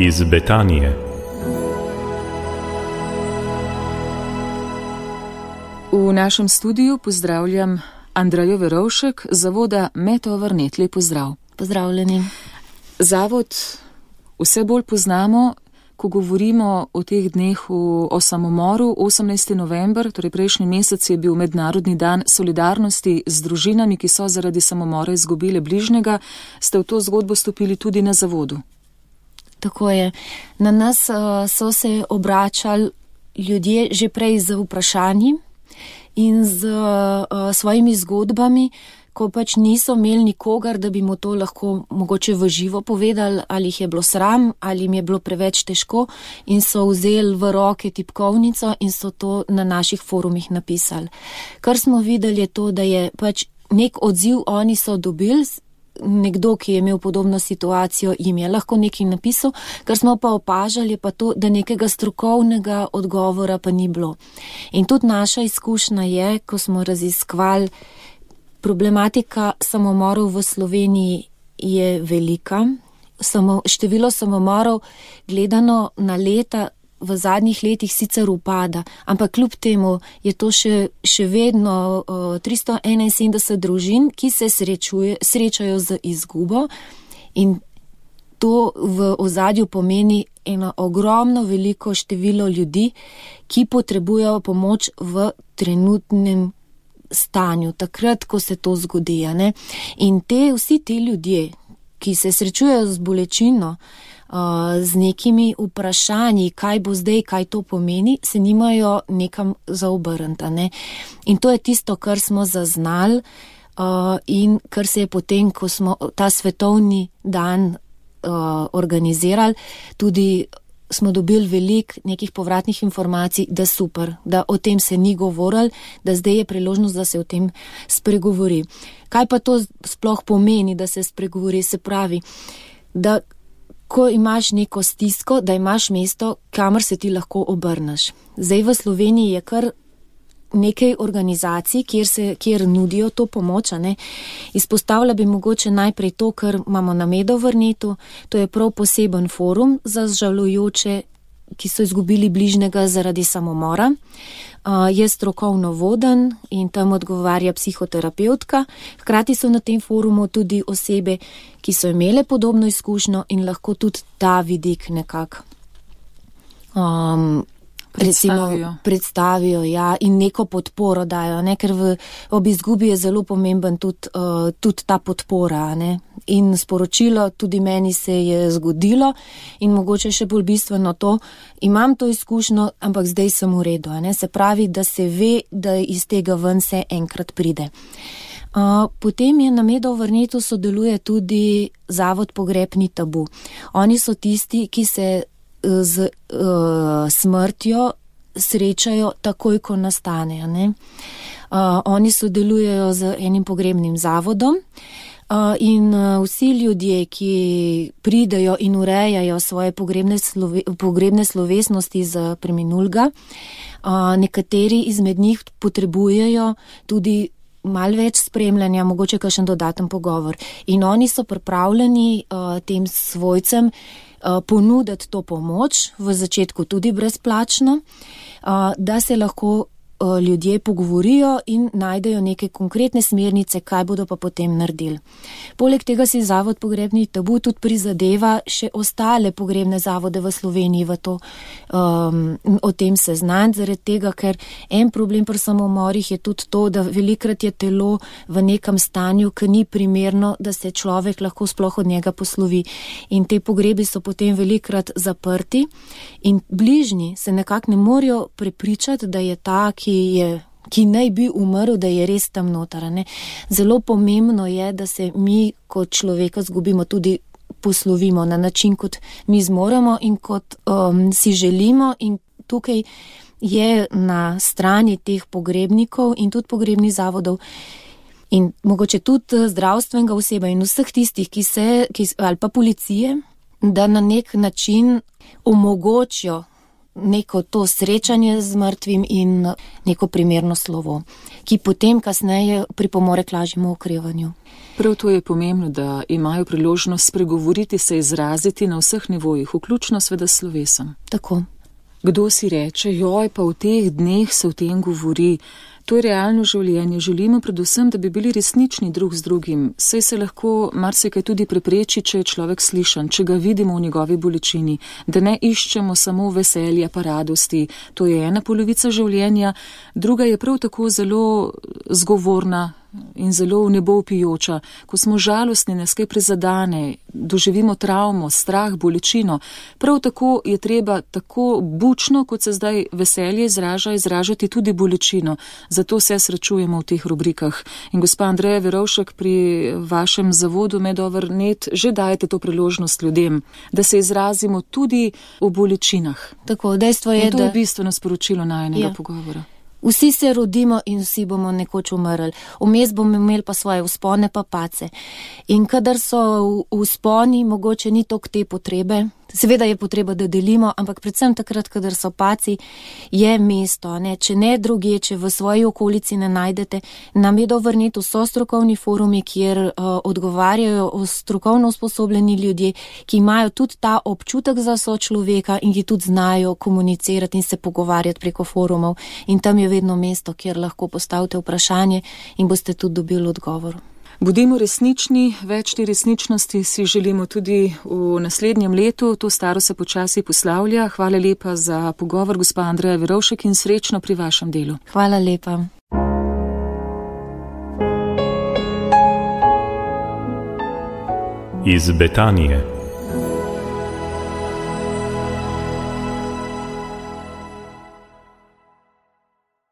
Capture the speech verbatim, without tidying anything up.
iz Betanije. V našem studiu pozdravljam Andrejo Verovšek, zavoda Metovrnet. Lep pozdrav. Pozdravljeni. Zavod vse bolj poznamo, ko govorimo o teh dneh o, o samomoru. osemnajsti november, torej prejšnji mesec, je bil Mednarodni dan solidarnosti z družinami, ki so zaradi samomora izgubile bližnjega. Ste v to zgodbo stopili tudi na zavodu? Tako je. Na nas uh, so se obračali ljudje že prej z vprašanji in z uh, svojimi zgodbami, ko pač niso imeli nikogar, da bi mu to lahko mogoče v živo povedali, ali jih je bilo sram, ali jim je bilo preveč težko, in so vzeli v roke tipkovnico in so to na naših forumih napisali. Kar smo videli je to, da je pač nek odziv oni so dobili, nekdo, ki je imel podobno situacijo, jim je lahko nekaj napisal, kar smo pa opažali je pa to, da nekega strokovnega odgovora pa ni bilo. In tudi naša izkušnja je, ko smo raziskovali, problematika samomorov v Sloveniji je velika. Samo, število samomorov gledano na leta v zadnjih letih sicer upada, ampak kljub temu je to še, še vedno uh, tristo enainsedemdeset družin, ki se srečuje, srečajo z izgubo, in to v ozadju pomeni eno ogromno veliko število ljudi, ki potrebujejo pomoč v trenutnem stanju, takrat, ko se to zgodi. Ne? In te, vsi ti ljudje, ki se srečujejo z bolečino, uh, z nekimi vprašanji, kaj bo zdaj, kaj to pomeni, se nimajo nekam za obrniti. Ne? In to je tisto, kar smo zaznali uh, in kar se je potem, ko smo ta svetovni dan uh, organizirali, tudi smo dobili veliko nekih povratnih informacij, da super, da o tem se ni govorili, da zdaj je priložnost, da se o tem spregovori. Kaj pa to sploh pomeni, da se spregovori? Se pravi, da ko imaš neko stisko, da imaš mesto, kamor se ti lahko obrneš. Zdaj v Sloveniji je kar nekaj organizacij, kjer, se, kjer nudijo to pomoč. Ne? Izpostavlja bi mogoče najprej to, kar imamo na Medovrnetu. To je prav poseben forum za žalujoče, ki so izgubili bližnjega zaradi samomora. Uh, je strokovno voden in tam odgovarja psihoterapeutka. Hkrati so na tem forumu tudi osebe, ki so imele podobno izkušnjo in lahko tudi ta vidik nekako um, Predstavijo. Recimo, predstavijo, ja, in neko podporo dajo, ne, ker v, ob izgubi je zelo pomemben tudi, uh, tudi ta podpora, ne, in sporočilo tudi meni se je zgodilo in mogoče še bolj bistveno to, imam to izkušnjo, ampak zdaj sem v redu, ne, se pravi, da se ve, da iz tega ven se enkrat pride. Uh, potem je na Medovrnetu sodeluje tudi Zavod Pogrebni tabu. Oni so tisti, ki se z uh, smrtjo srečajo takoj, ko nastane. Ne? Uh, oni sodelujejo z enim pogrebnim zavodom uh, in uh, vsi ljudje, ki pridejo in urejajo svoje pogrebne, slove, pogrebne slovesnosti za preminulga, uh, nekateri izmed njih potrebujejo tudi malo več spremljanja, mogoče kakšen dodaten pogovor. In oni so pripravljeni uh, tem svojcem ponuditi to pomoč, v začetku tudi brezplačno, da se lahko ljudje pogovorijo in najdejo neke konkretne smernice, kaj bodo pa potem naredili. Poleg tega si Zavod Pogrebni tabu tudi prizadeva še ostale pogrebne zavode v Sloveniji v to, um, o tem seznaniti, zaradi tega, ker en problem pri samomorih je tudi to, da velikrat je telo v nekem stanju, ki ni primerno, da se človek lahko sploh od njega poslovi. In te pogrebi so potem velikrat zaprti in bližnji se nekako ne morejo prepričati, da je ta, ki je, ki naj bi umrl, da je res tam noter. Ne? Zelo pomembno je, da se mi kot človeka zgubimo, tudi poslovimo na način, kot mi zmoremo in kot um, si želimo, in tukaj je na strani teh pogrebnikov in tudi pogrebnih zavodov in mogoče tudi zdravstvenega oseba in vseh tistih, ki se, ki, ali pa policije, da na nek način omogočijo neko to srečanje z mrtvim in neko primerno slovo, ki potem kasneje pripomore k lažjemu okrevanju. Prav to je pomembno, da imajo priložnost spregovoriti, se izraziti na vseh nivojih, vključno sveda slovesom. Tako. Kdo si reče, joj, pa v teh dneh se o tem govori. To je realno življenje. Želimo predvsem, da bi bili resnični drug z drugim. Saj se lahko marsikaj tudi prepreči, če je človek slišan, če ga vidimo v njegovi bolečini, da ne iščemo samo veselja pa radosti. To je ena polovica življenja, druga je prav tako zelo zgovorna in zelo v nebo vpijoča. Ko smo žalostni, nas kaj prizadane, doživimo travmo, strah, bolečino. Prav tako je treba tako bučno, kot se zdaj veselje izraža, izražati tudi bolečino. Zato se srečujemo v teh rubrikah. In gospa Andreja Verovšek, pri vašem zavodu Medover pika net že dajete to priložnost ljudem, da se izrazimo tudi v bolečinah. Tako, dejstvo je, in to je da... bistveno sporočilo najinega ja. pogovora. Vsi se rodimo in vsi bomo nekoč umrli. Vmes bomo imeli pa svoje vzpone pa pace. In kadar so vzponi, mogoče ni toliko te potrebe. Seveda je potreba, da delimo, ampak predvsem takrat, kadar so paci, je mesto. Ne? Če ne druge, če v svoji okolici ne najdete, nam je Medover pika net so strokovni forumi, kjer uh, odgovarjajo strokovno usposobljeni ljudje, ki imajo tudi ta občutek za sočloveka in ki tudi znajo komunicirati in se pogovarjati preko forumov. In tam je vedno mesto, kjer lahko postavite vprašanje in boste tudi dobili odgovor. Bodimo resnični, več te resničnosti si želimo tudi v naslednjem letu, to staro se počasi poslavlja. Hvala lepa za pogovor, gospa Andreja Verovšek, in srečno pri vašem delu. Hvala lepa. Iz Betanije.